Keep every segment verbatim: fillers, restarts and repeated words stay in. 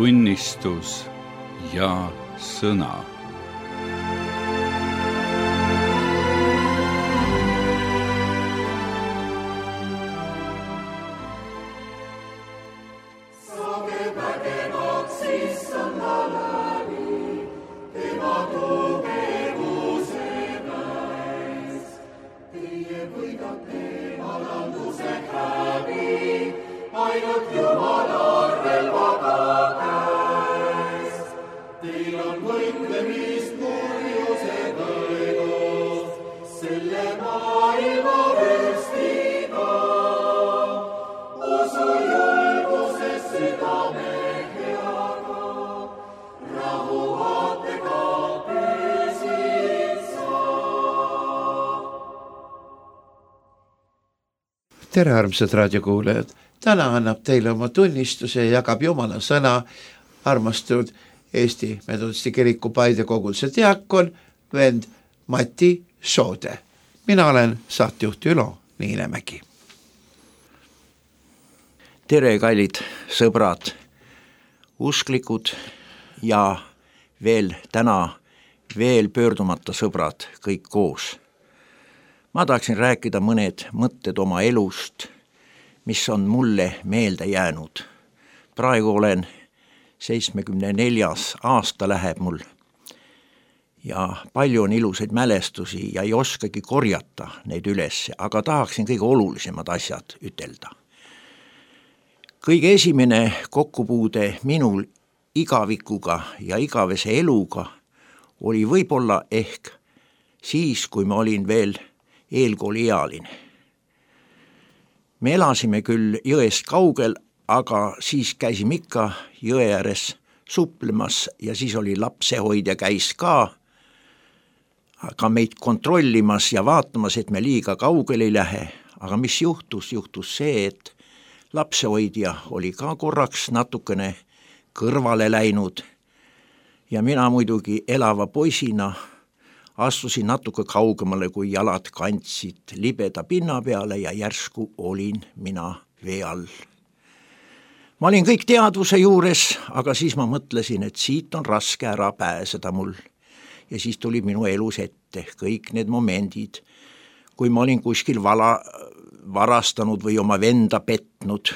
tunnistus ja sõna. Tere, armsad raadiokuulajad! Täna annab teile oma tunnistuse ja jagab Jumala sõna armastud Eesti Metodisti Kiriku Paide koguduse diakon vend Mati Soode. Mina olen saatjuht Ülo Niinemägi. Tere, kallid sõbrad, usklikud ja veel täna veel pöördumata sõbrad kõik koos. Ma tahaksin rääkida mõned mõtted oma elust, mis on mulle meelde jäänud. Praegu olen seitsmekümne neljas aasta läheb mul ja palju on ilusaid mälestusi ja ei oskagi korjata neid üles, aga tahaksin kõige olulisemad asjad ütelda. Kõige esimene kokkupuude minul igavikuga ja igavese eluga oli võib-olla ehk siis, kui ma olin veel eelkooliealine. Me elasime küll jõest kaugel, aga siis käisime ikka jõe ääres suplemas ja siis oli lapsehoidja käis ka, aga meid kontrollimas ja vaatamas, et me liiga kaugel ei lähe. Aga mis juhtus? Juhtus see, et lapsehoidja oli ka korraks natukene kõrvale läinud ja mina muidugi elava poisina astusin natuke kaugemale, kui jalad kandsid libeda pinna peale ja järsku olin mina vee all. Ma olin kõik teadvuse juures, aga siis ma mõtlesin, et siit on raske ära pääseda mul. Ja siis tuli minu elus ette kõik need momendid, kui ma olin kuskil vala, varastanud või oma venda petnud.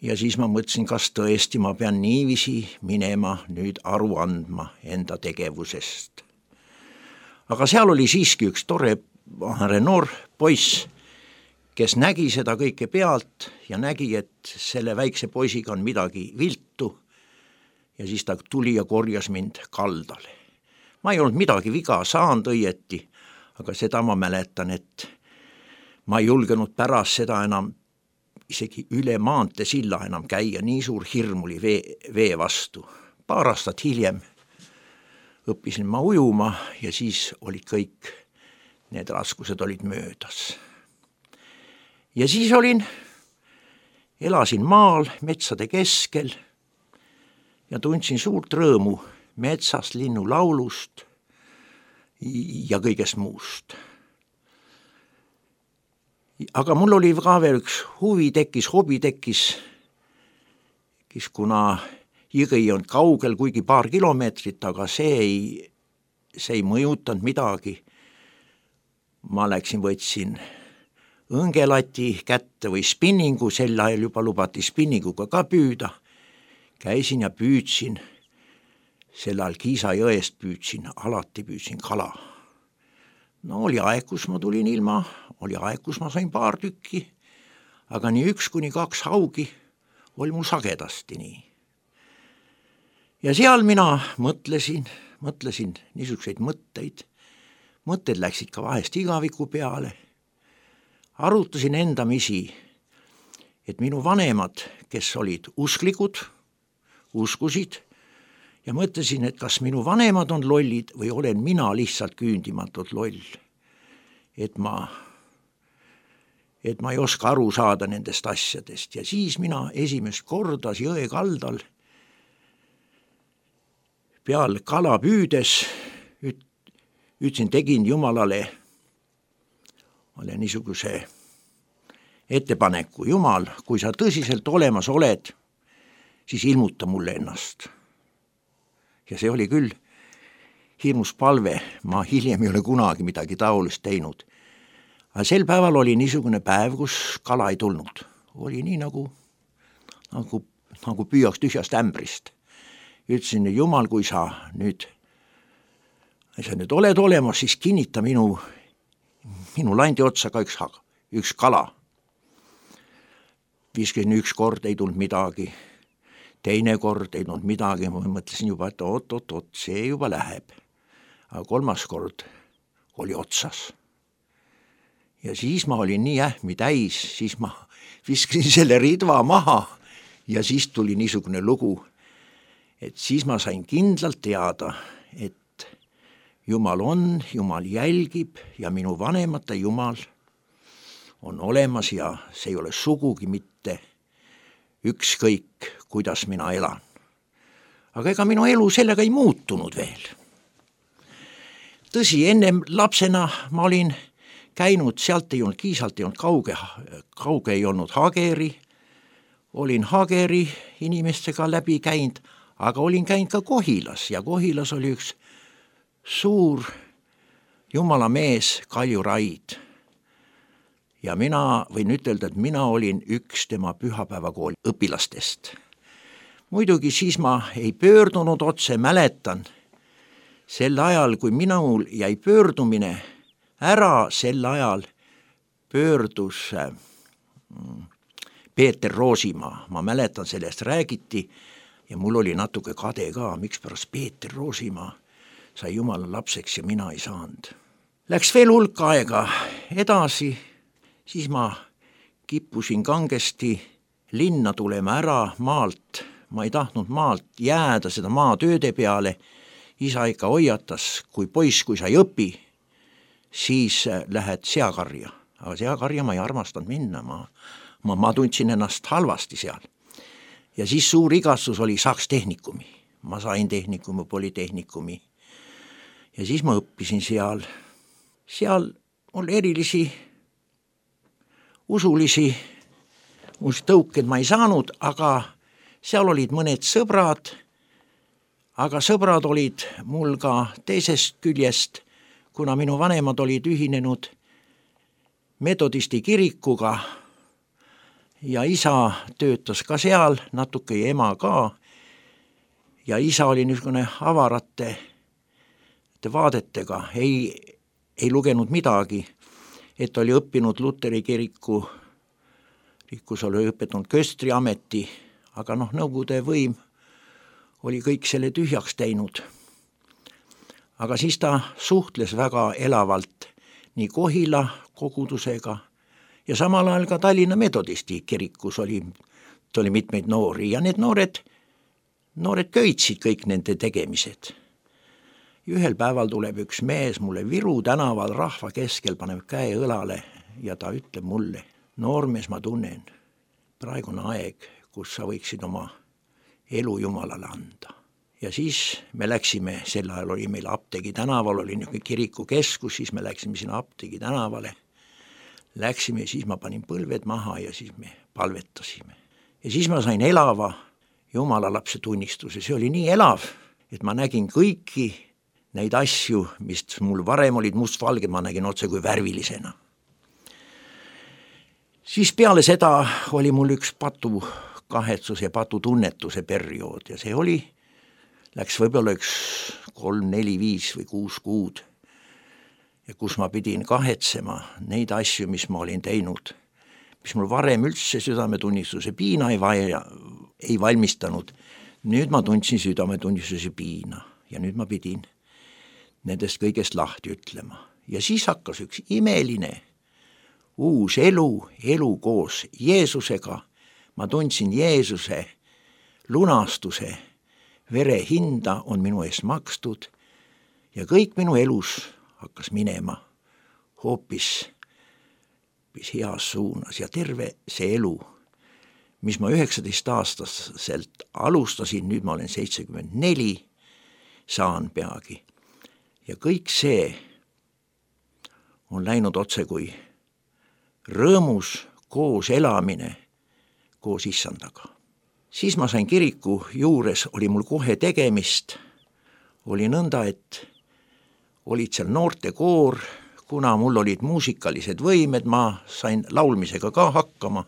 Ja siis ma mõtlesin, kas tõesti ma pean niiviisi minema nüüd aru andma enda tegevusest. Aga seal oli siiski üks tore noor poiss, kes nägi seda kõike pealt ja nägi, et selle väikse poisiga on midagi viltu ja siis ta tuli ja korjas mind kaldale. Ma ei olnud midagi viga saanud õieti, aga seda ma mäletan, et ma ei julgenud pärast seda enam isegi üle maante silla enam käia, nii suur hirm oli vee, vee vastu. Paar aastat hiljem õppisin ma ujuma ja siis olid kõik need raskused olid möödas. Ja siis olin, elasin maal metsade keskel ja tundsin suurt rõõmu metsast, linnu laulust ja kõigest muust. Aga mul oli ka veel üks huvi tekkis, hobi tekkis, kes kuna jõgi on kaugel, kuigi paar kilomeetrit, aga see ei, see ei mõjutanud midagi. Ma läksin, võtsin õngelati kätte või spinningu, sel ajal juba lubati spinninguga ka püüda. Käisin ja püüdsin, sel ajal Kiisa jõest püüdsin, alati püüdsin kala. No oli aeg, kus ma tulin ilma, oli aeg, kus ma sain paar tükki, aga nii üks kuni kaks haugi oli mul sagedasti nii. Ja seal mina mõtlesin, mõtlesin niisuguseid mõtteid, mõtted läksid ka vahest igaviku peale. Arutasin endamisi, et minu vanemad, kes olid usklikud, uskusid ja mõtlesin, et kas minu vanemad on lollid või olen mina lihtsalt küündimatult loll. Et ma, et ma ei oska aru saada nendest asjadest ja siis mina esimest korda jõe kaldal peal kala püüdes üt, ütlesin, tegin Jumalale olen niisuguse ettepaneku, Jumal, kui sa tõsiselt olemas oled siis ilmuta mulle ennast. Ja see oli küll hirmus palve, ma hiljem ei ole kunagi midagi taolist teinud. Aga sel päeval oli niisugune päev, kus kala ei tulnud. Oli nii nagu, nagu, nagu püüaks tühjast ämbrist. Ütlesin, Jumal, kui sa nüüd, sa nüüd oled olemas, siis kinnita minu, minu landi otsa ka üks, üks kala. viiskümmend üks kord ei tulnud midagi, teine kord ei tulnud midagi, ma mõtlesin juba, et oot, oot, oot, see juba läheb. Aga kolmas kord oli otsas. Ja siis ma olin nii ähmi täis, siis ma viskasin selle ridva maha ja siis tuli niisugune lugu, et siis ma sain kindlalt teada, et Jumal on, Jumal jälgib ja minu vanemate Jumal on olemas ja see ei ole sugugi mitte ükskõik, kuidas mina elan. Aga ega minu elu sellega ei muutunud veel. Tõsi, ennem lapsena ma olin käinud, sealt ei olnud Kiisalt, ei olnud kauge, kauge ei olnud Hageri, olin Hageri inimestega läbi käinud, aga olin käinud ka Kohilas ja Kohilas oli üks suur Jumala mees Kalju Raid. Ja mina võin ütelda, et mina olin üks tema pühapäevakooli õpilastest. Muidugi siis ma ei pöördunud otse, mäletan, sel ajal, kui minul jäi pöördumine ära, sel ajal pöördus Peeter Roosimaa, ma mäletan, sellest räägiti ja mul oli natuke kade ka, miks pärast Peeter Roosimaa sai Jumala lapseks ja mina ei saanud. Läks veel hulk aega edasi, siis ma kippusin kangesti linna tulema ära maalt, ma ei tahtnud maalt jääda seda maatööde peale, isa ikka hoiatas, kui poiss, kui sa ei õpi, siis lähed seakarja, aga seakarja ma ei armastanud minna, ma, ma, ma tundsin ennast halvasti seal. Ja siis suur igastus oli saaks tehnikumi, ma sain tehnikumi, politehnikumi ja siis ma õppisin seal, seal oli erilisi usulisi tõuked ma ei saanud, aga seal olid mõned sõbrad, aga sõbrad olid mul ka teisest küljest, kuna minu vanemad olid ühinenud metodisti kirikuga ja isa töötas ka seal, natuke ja ema ka, ja isa oli niisugune avarate vaadetega, ei, ei lugenud midagi, et oli õppinud Luteri kiriku, rikus oli õpetanud köstri ameti, aga noh, Nõukogude võim oli kõik selle tühjaks teinud. Aga siis ta suhtles väga elavalt nii Kohila kogudusega ja samal ajal ka Tallinna metodisti kirikus oli, oli mitmeid noori ja need noored, noored köitsid kõik nende tegemised. Ühel päeval tuleb üks mees mulle Viru tänaval rahva keskel, paneb käe õlale ja ta ütleb mulle, noormees, ma tunnen, praegu on aeg, kus sa võiksid oma elu Jumalale anda. Ja siis me läksime, sel ajal oli meil Apteegi tänaval, oli niisugune kirikukeskus, siis me läksime sinna Apteegi tänavale, läksime, siis ma panin põlved maha ja siis me palvetasime. Ja siis ma sain elava Jumala lapse tunnistuse, see oli nii elav, et ma nägin kõiki neid asju, mis mul varem olid mustvalged, ma nägin otse kui värvilisena. Siis peale seda oli mul üks patu kahetsuse ja patu tunnetuse periood ja see oli, läks võib-olla üks kolm, neli, viis või kuus kuud ja kus ma pidin kahetsema neid asju, mis ma olin teinud, mis mul varem üldse südametunnistuse piina ei, vaja, ei valmistanud. Nüüd ma tundsin südametunnistuse piina ja nüüd ma pidin nendest kõigest lahti ütlema. Ja siis hakkas üks imeline uus elu, elu koos Jeesusega. Ma tundsin Jeesuse lunastuse, vere hinda on minu ees makstud ja kõik minu elus hakkas minema hoopis, hoopis heas suunas ja terve see elu, mis ma üheksateist aastaselt alustasin, nüüd ma olen seitsekümmend neli, saan peagi. Ja kõik see on läinud otse kui rõõmus koos elamine koos issandaga. siis ma sain kiriku juures, oli mul kohe tegemist, oli nõnda, et olid seal noortekoor, kuna mul olid muusikalised võimed, ma sain laulmisega ka hakkama,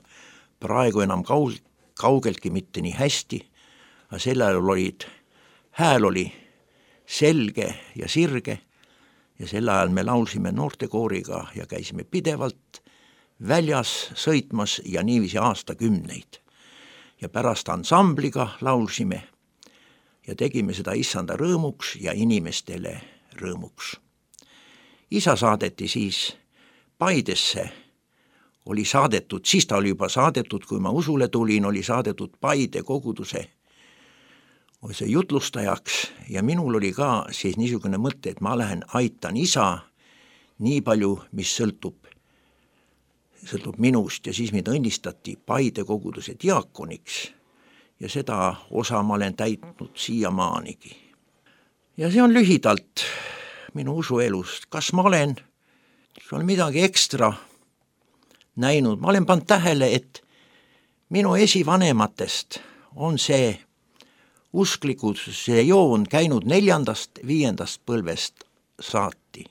praegu enam kaug- kaugeltki mitte nii hästi, aga sel ajal olid, hääl oli selge ja sirge ja sel ajal me laulsime noortekooriga ja käisime pidevalt väljas sõitmas ja niiviisi aastakümneid. Ja pärast ansambliga laulsime ja tegime seda issanda rõõmuks ja inimestele rõõmuks. Isa saadeti siis Paidesse, oli saadetud, siis ta oli juba saadetud, kui ma usule tulin, oli saadetud Paide koguduse see jutlustajaks ja minul oli ka siis niisugune mõte, et ma lähen aitan isa nii palju, mis sõltub, sõltub minust ja siis mind õnnistati Paide koguduse diakoniks ja seda osa ma olen täitnud siiamaanigi. Ja see on lühidalt minu usuelust, kas ma olen, olen midagi ekstra näinud, ma olen pannud tähele, et minu esivanematest on see usklikud, see joon käinud neljandast, viiendast põlvest saati.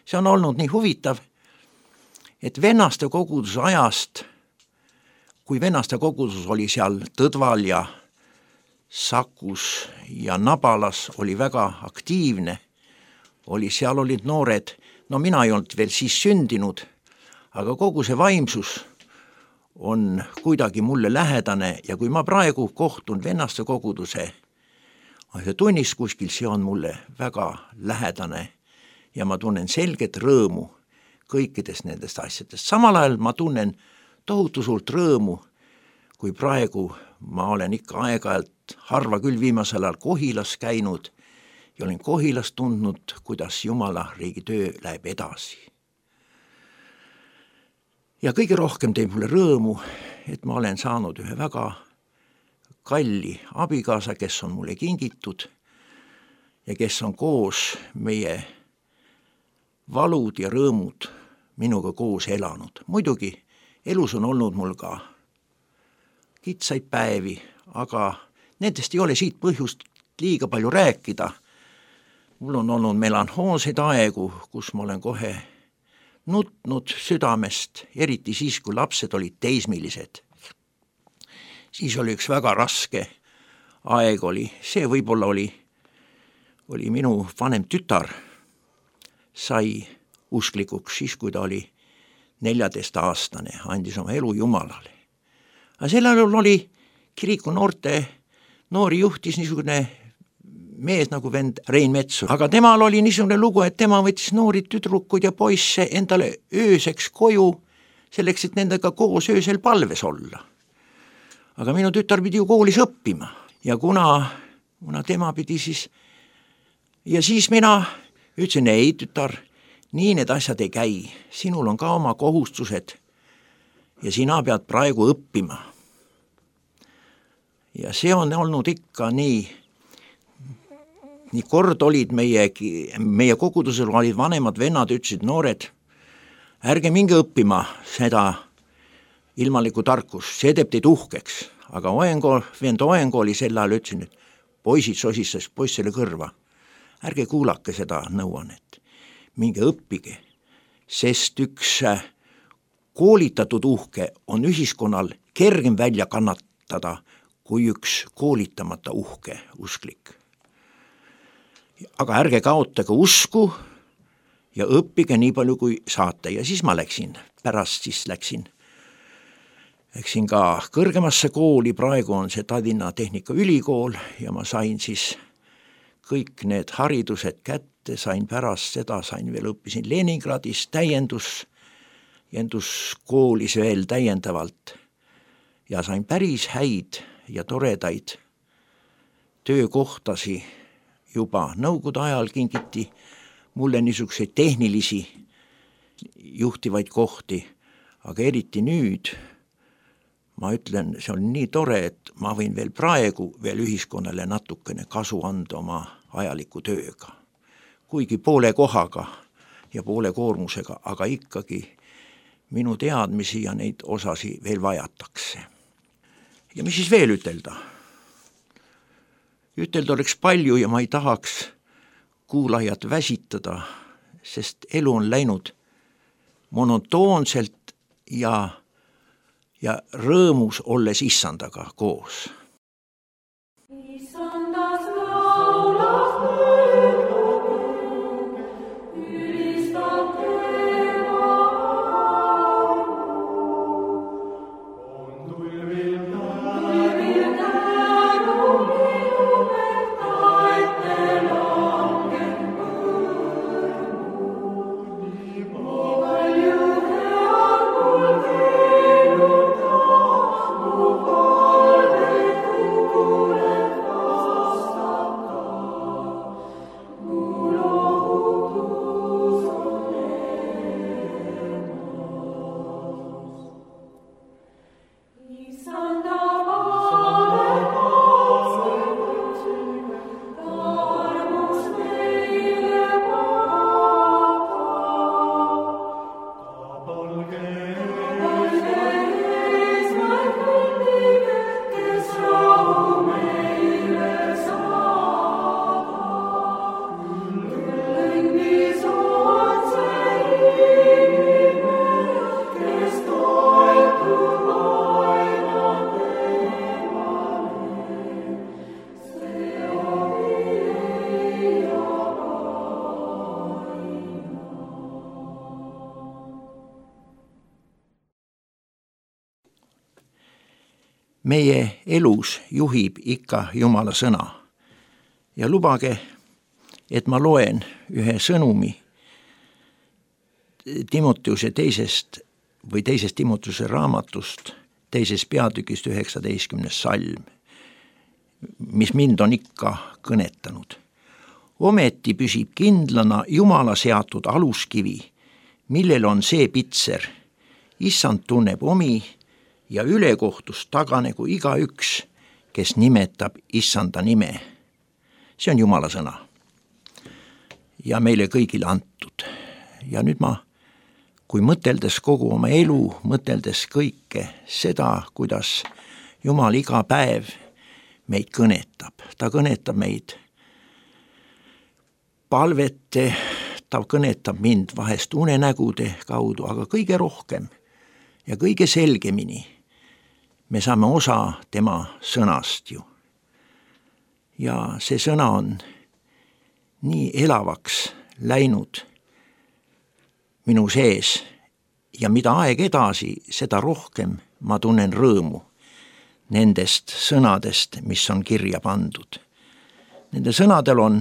See on olnud nii huvitav, et vennaste koguduse ajast, kui vennaste kogudus oli seal Tõdval ja Sakus ja Nabalas, oli väga aktiivne, oli, seal olid noored, no mina ei olnud veel siis sündinud, aga kogu see vaimsus on kuidagi mulle lähedane ja kui ma praegu kohtun vennaste koguduse ja tunnis kuskil, see on mulle väga lähedane ja ma tunnen selget rõõmu kõikidest nendest asjadest. Samal ajal ma tunnen tohutu suurt rõõmu, kui praegu ma olen ikka aeg-ajalt harva küll viimasel ajal Kohilas käinud ja olen Kohilas tundnud, kuidas Jumala riigi töö läheb edasi. Ja kõige rohkem teeb mulle rõõmu, et ma olen saanud ühe väga kalli abikaasa, kes on mulle kingitud ja kes on koos meie valud ja rõõmud minuga koos elanud. Muidugi elus on olnud mul ka kitsaid päevi, aga nendest ei ole siit põhjust liiga palju rääkida. Mul on olnud melanhoolseid aegu, kus ma olen kohe nutnud südamest, eriti siis, kui lapsed olid teismilised. Siis oli üks väga raske aeg oli, see võib-olla oli, oli minu vanem tütar, sai usklikuks siis, kui ta oli neljateistaastane, andis oma elu Jumalale. Aga sel ajal oli kiriku noorte, noori juhtis niisugune mees nagu vend Rein Metsur, aga temal oli niisugune lugu, et tema võttis noori tüdrukud ja poisse endale ööseks koju, selleks, et nendega koos öösel palves olla. Aga minu tütar pidi ju koolis õppima ja kuna, kuna tema pidi siis, ja siis mina ütlesin, ei tütar, nii need asjad ei käi, sinul on ka oma kohustused ja sina pead praegu õppima. Ja see on olnud ikka nii, nii kord olid meie, meie kogudusel olid vanemad vennad, ütlesid noored, ärge minge õppima seda ilmalikku tarkust, see teeb teid uhkeks, aga Oengo, vend Oengo oli sel ajal, ütlesin, et poisid sosistas poissele kõrva, ärge kuulake seda nõuannet, minge õppige, sest üks koolitatud uhke on ühiskonnal kergem välja kannatada kui üks koolitamata uhke usklik. Aga ärge kaotage usku ja õppige nii palju kui saate ja siis ma läksin, pärast siis läksin Läksin ka kõrgemasse kooli, praegu on see Tallinna Tehnikaülikool ja ma sain siis kõik need haridused kätte, sain pärast seda, sain veel õppisin Leningradis täiendus, jänduskoolis veel täiendavalt ja sain päris häid ja toredaid töökohtasi juba nõukogude ajal kingiti mulle niisuguseid tehnilisi juhtivaid kohti, aga eriti nüüd ma ütlen, see on nii tore, et ma võin veel praegu veel ühiskonnale natukene kasu anda oma ajaliku tööga. Kuigi poole kohaga ja poole koormusega, aga ikkagi minu teadmisi ja neid osasi veel vajatakse. Ja mis siis veel ütelda? ütelda oleks palju ja ma ei tahaks kuulajat väsitada, sest elu on läinud monotoonselt ja, ja rõõmus olles issandaga koos. Meie elus juhib ikka Jumala sõna ja lubage, et ma loen ühe sõnumi Timoteuse teisest või teisest Timoteuse raamatust, teisest peatükist üheksateistkümnes salm, mis mind on ikka kõnetanud. Ometi püsib kindlana Jumala seatud aluskivi, millel on see pitser. Issand tunneb omi ja ülekohtust taganegu igaüks, kes nimetab issanda nime. See on Jumala sõna ja meile kõigile antud. Ja nüüd ma, kui mõteldes kogu oma elu, mõteldes kõike seda, kuidas Jumal iga päev meid kõnetab. Ta kõnetab meid palvete, ta kõnetab mind vahest unenägude kaudu, aga kõige rohkem ja kõige selgemini me saame osa tema sõnast ju. Ja see sõna on nii elavaks läinud minu sees ja mida aeg edasi, seda rohkem ma tunnen rõõmu nendest sõnadest, mis on kirja pandud. Nende sõnadel on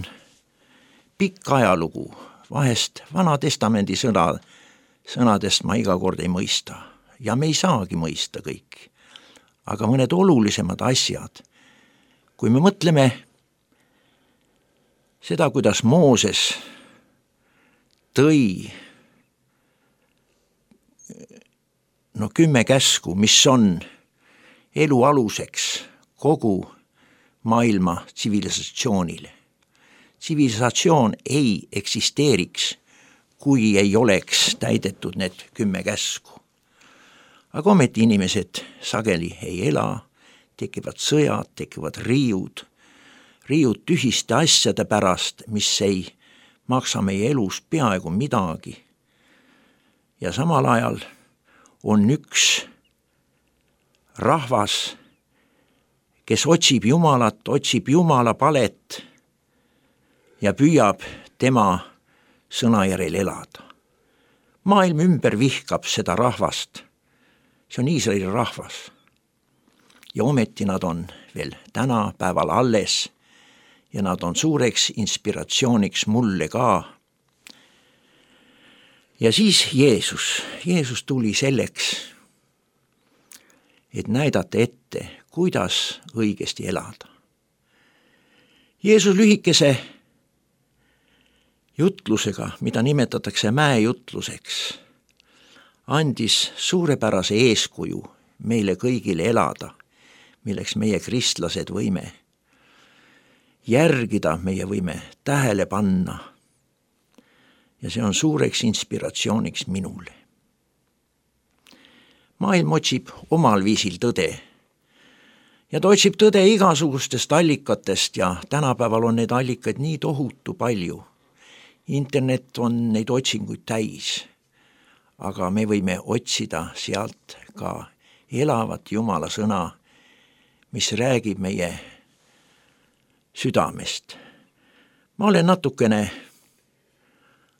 pikk ajalugu, vahest Vana Testamendi sõna, sõnadest ma iga kord ei mõista ja me ei saagi mõista kõik. Aga mõned olulisemad asjad, kui me mõtleme seda, kuidas Mooses tõi no kümme käsku, mis on elu aluseks kogu maailma tsivilisatsioonile. Tsivilisatsioon ei eksisteeriks, kui ei oleks täidetud need kümme käsku. Aga ometi inimesed sageli ei ela, tekivad sõjad, tekivad riiud, riiud tühiste asjade pärast, mis ei maksa meie elus peaaegu midagi. Ja samal ajal on üks rahvas, kes otsib Jumalat, otsib Jumala palet ja püüab tema sõna järel elada. Maailm ümber vihkab seda rahvast. See on Iisraeli rahvas ja ometi nad on veel tänapäeval alles ja nad on suureks inspiratsiooniks mulle ka. Ja siis Jeesus, Jeesus tuli selleks, et näidata ette, kuidas õigesti elada. Jeesus lühikese jutlusega, mida nimetatakse mäejutluseks, andis suurepärase eeskuju meile kõigile elada, milleks meie kristlased võime järgida, meie võime tähele panna. Ja see on suureks inspiratsiooniks minule. Maailm otsib omal viisil tõde ja ta otsib tõde igasugustest allikatest ja tänapäeval on neid allikaid nii tohutu palju. Internet on neid otsinguid täis, aga me võime otsida sealt ka elavat Jumala sõna, mis räägib meie südamest. Ma olen natukene,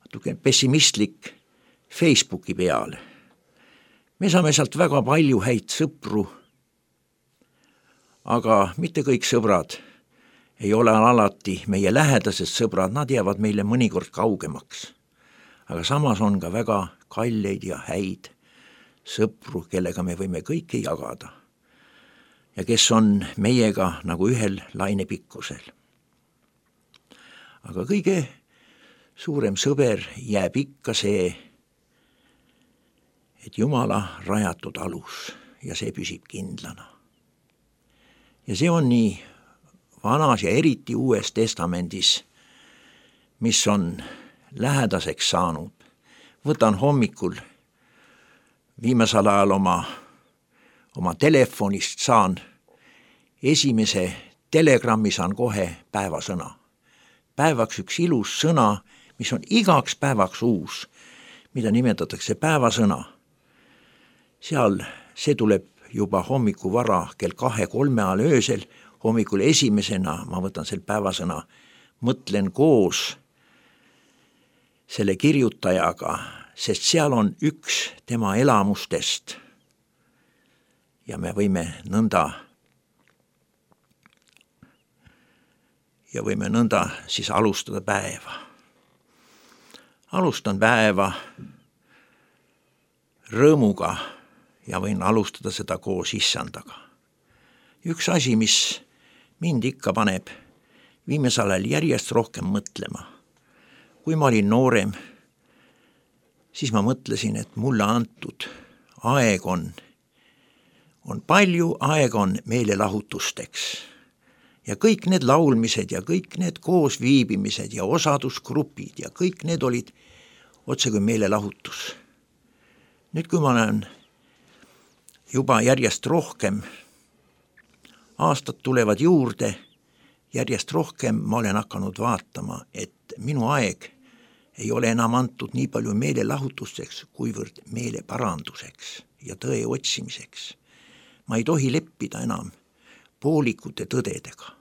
natukene pessimistlik Facebooki peal. Me saame sealt väga palju häid sõpru, aga mitte kõik sõbrad ei ole alati meie lähedased sõbrad, nad jäävad meile mõnikord kaugemaks. Aga samas on ka väga kalleid ja häid sõpru, kellega me võime kõike jagada ja kes on meiega nagu ühel lainepikkusel. Aga kõige suurem sõber jääb ikka see, et Jumala rajatud alus ja see püsib kindlana. Ja see on nii vanas ja eriti uues testamendis, mis on lähedaseks saanud. Võtan hommikul viimasel ajal oma, oma telefonist saan esimese telegrammi saan kohe päevasõna. Päevaks üks ilus sõna, mis on igaks päevaks uus, mida nimetatakse päevasõna. Seal see tuleb juba hommiku vara kell kahe kolme ajal öösel, hommikul esimesena ma võtan selle päevasõna, mõtlen koos selle kirjutajaga, sest seal on üks tema elamustest ja me võime nõnda ja võime nõnda siis alustada päeva. Alustan päeva rõõmuga ja võin alustada seda koos issandaga. Üks asi, mis mind ikka paneb viimasel ajal järjest rohkem mõtlema. Kui ma olin noorem, siis ma mõtlesin, et mulle antud aeg on, on palju, aeg on meelelahutusteks. Ja kõik need laulmised ja kõik need koosviibimised ja osadusgrupid ja kõik need olid otse kui meelelahutus. Nüüd, kui ma olen juba järjest rohkem, aastad tulevad juurde, järjest rohkem ma olen hakanud vaatama, et minu aeg ei ole enam antud nii palju meelelahutusteks, kuivõrd meeleparanduseks ja tõe otsimiseks. Ma ei tohi leppida enam poolikute tõdedega.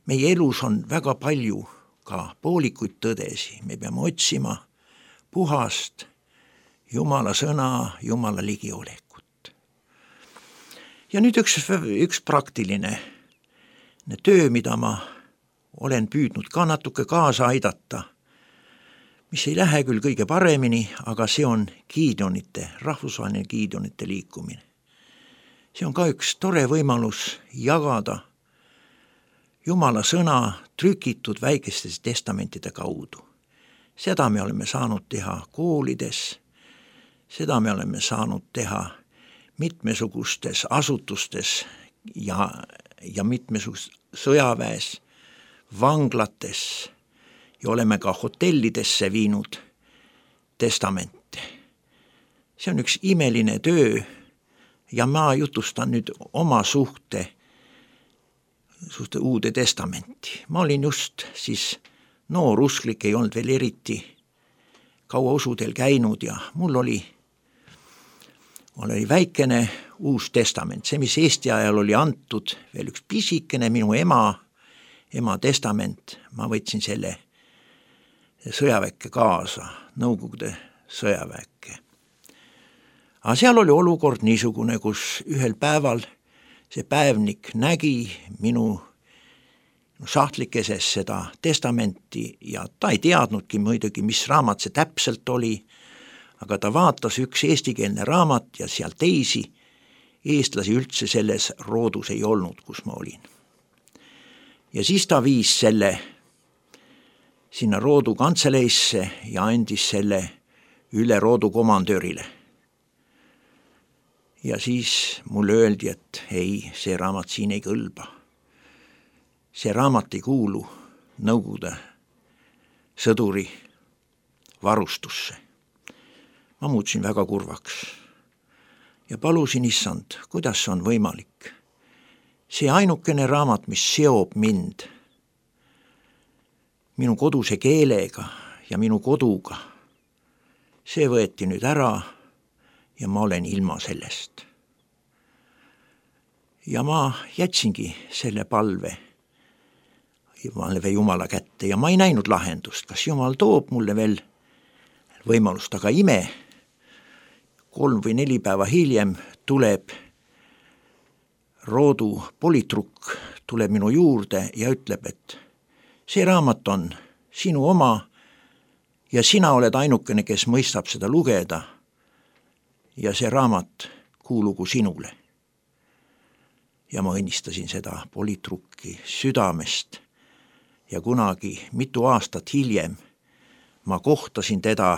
Meie elus on väga palju ka poolikuid tõdesi, me peame otsima puhast Jumala sõna, Jumala ligiolekut. Ja nüüd üks, üks praktiline töö, mida ma olen püüdnud ka natuke kaasa aidata, mis ei lähe küll kõige paremini, aga see on Gideonite, rahvusvaheline Gideonite liikumine. See on ka üks tore võimalus jagada Jumala sõna trükitud väikestes testamentide kaudu. Seda me oleme saanud teha koolides, seda me oleme saanud teha mitmesugustes asutustes ja, ja mitmesugustes sõjaväes, vanglates ja oleme ka hotellidesse viinud testamente. See on üks imeline töö ja ma jutustan nüüd oma suhte, suhte uude testamenti. Ma olin just siis noor usklik, ei olnud veel eriti kaua usudel käinud ja mul oli Mul oli väikene uus testament, see, mis Eesti ajal oli antud, veel üks pisikene minu ema, ema testament, ma võtsin selle sõjaväkke kaasa, Nõukogude sõjaväkke. Aga seal oli olukord niisugune, kus ühel päeval see päevnik nägi minu sahtlikkeses seda testamenti ja ta ei teadnudki muidugi, mis raamat see täpselt oli, aga ta vaatas üks eestikeelne raamat ja seal teisi eestlasi üldse selles roodus ei olnud, kus ma olin. Ja siis ta viis selle sinna roodu kantseleisse ja andis selle üle roodu komandöörile. Ja siis mulle öeldi, et ei, see raamat siin ei kõlba. See raamat ei kuulu Nõukogude sõduri varustusse. Ma muutusin väga kurvaks ja palusin issand, kuidas see on võimalik. see ainukene raamat, mis seob mind minu koduse keelega ja minu koduga, see võeti nüüd ära ja ma olen ilma sellest. Ja ma jätsingi selle palve palve Jumala kätte ja ma ei näinud lahendust, kas Jumal toob mulle veel võimalust, aga ime, kolm või neli päeva hiljem tuleb Roodu politrukk, tuleb minu juurde ja ütleb, et see raamat on sinu oma ja sina oled ainukene, kes mõistab seda lugeda ja see raamat kuulugu sinule. Ja ma õnnistasin seda politrukki südamest ja kunagi mitu aastat hiljem ma kohtasin teda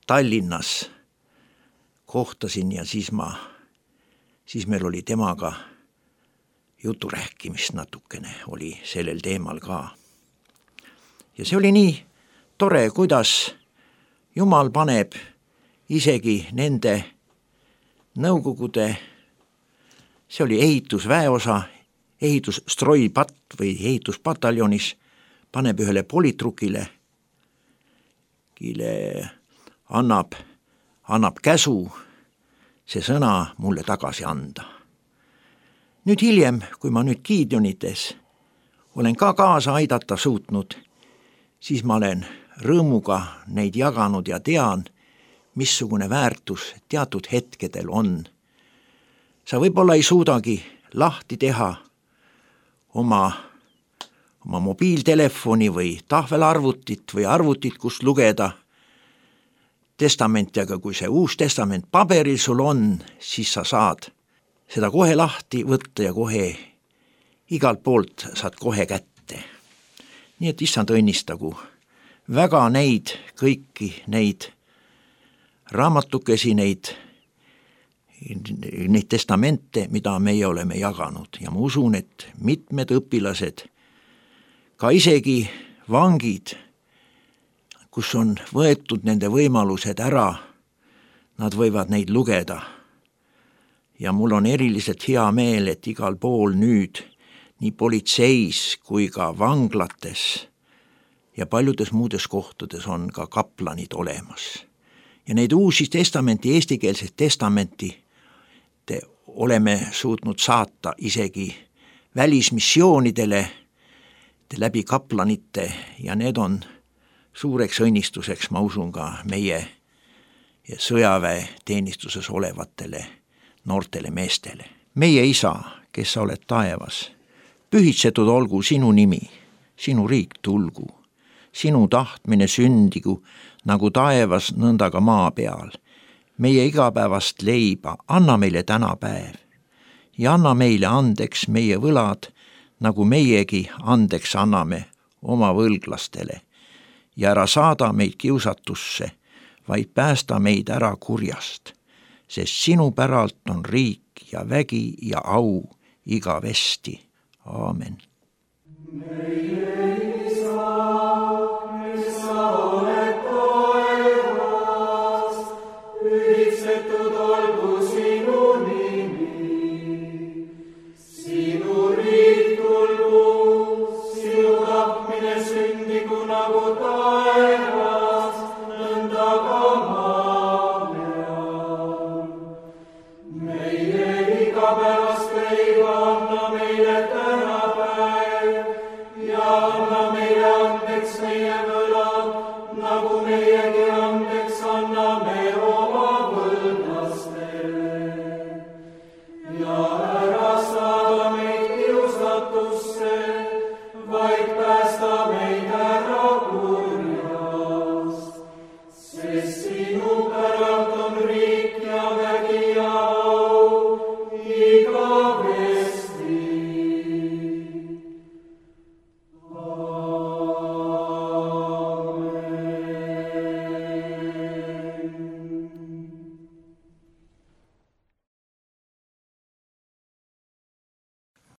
Tallinnas, kohtasin ja siis ma, siis meil oli temaga jutu rääkimist natukene, oli sellel teemal ka. Ja see oli nii tore, kuidas Jumal paneb isegi nende nõukogude, see oli ehitusväeosa, ehitusstrojpatt või ehituspataljonis, paneb ühele politrukile, kile annab, annab käsu see sõna mulle tagasi anda. Nüüd hiljem, kui ma nüüd Gideonites olen ka kaasa aidata suutnud, siis ma olen rõõmuga neid jaganud ja tean, missugune väärtus teatud hetkedel on. Sa võib-olla ei suudagi lahti teha oma, oma mobiiltelefoni või tahvelarvutit või arvutit, kust lugeda testamenti, aga kui see uus testament paberil sul on, siis sa saad seda kohe lahti võtta ja kohe igalt poolt saad kohe kätte. Nii et issand õnnistagu väga neid, kõiki neid raamatukesi, neid, neid testamente, mida meie oleme jaganud ja ma usun, et mitmed õpilased, ka isegi vangid, kus on võetud nende võimalused ära, nad võivad neid lugeda. Ja mul on eriliselt hea meel, et igal pool nüüd, nii politseis kui ka vanglates ja paljudes muudes kohtades on ka kaplanid olemas. Ja neid uusi testamenti, eestikeelset testamenti te oleme suutnud saata isegi välismissioonidele te läbi kaplanite ja need on suureks õnnistuseks, ma usun ka meie sõjaväe teenistuses olevatele noortele meestele. Meie isa, kes sa oled taevas, pühitsetud olgu sinu nimi, sinu riik tulgu, sinu tahtmine sündigu nagu taevas, nõnda ka maa peal. Meie igapäevast leiba anna meile täna päev ja anna meile andeks meie võlad, nagu meiegi andeks anname oma võlglastele ja ära saada meid kiusatusse, vaid päästa meid ära kurjast, sest sinu päralt on riik ja vägi ja au igavesti. Aamen.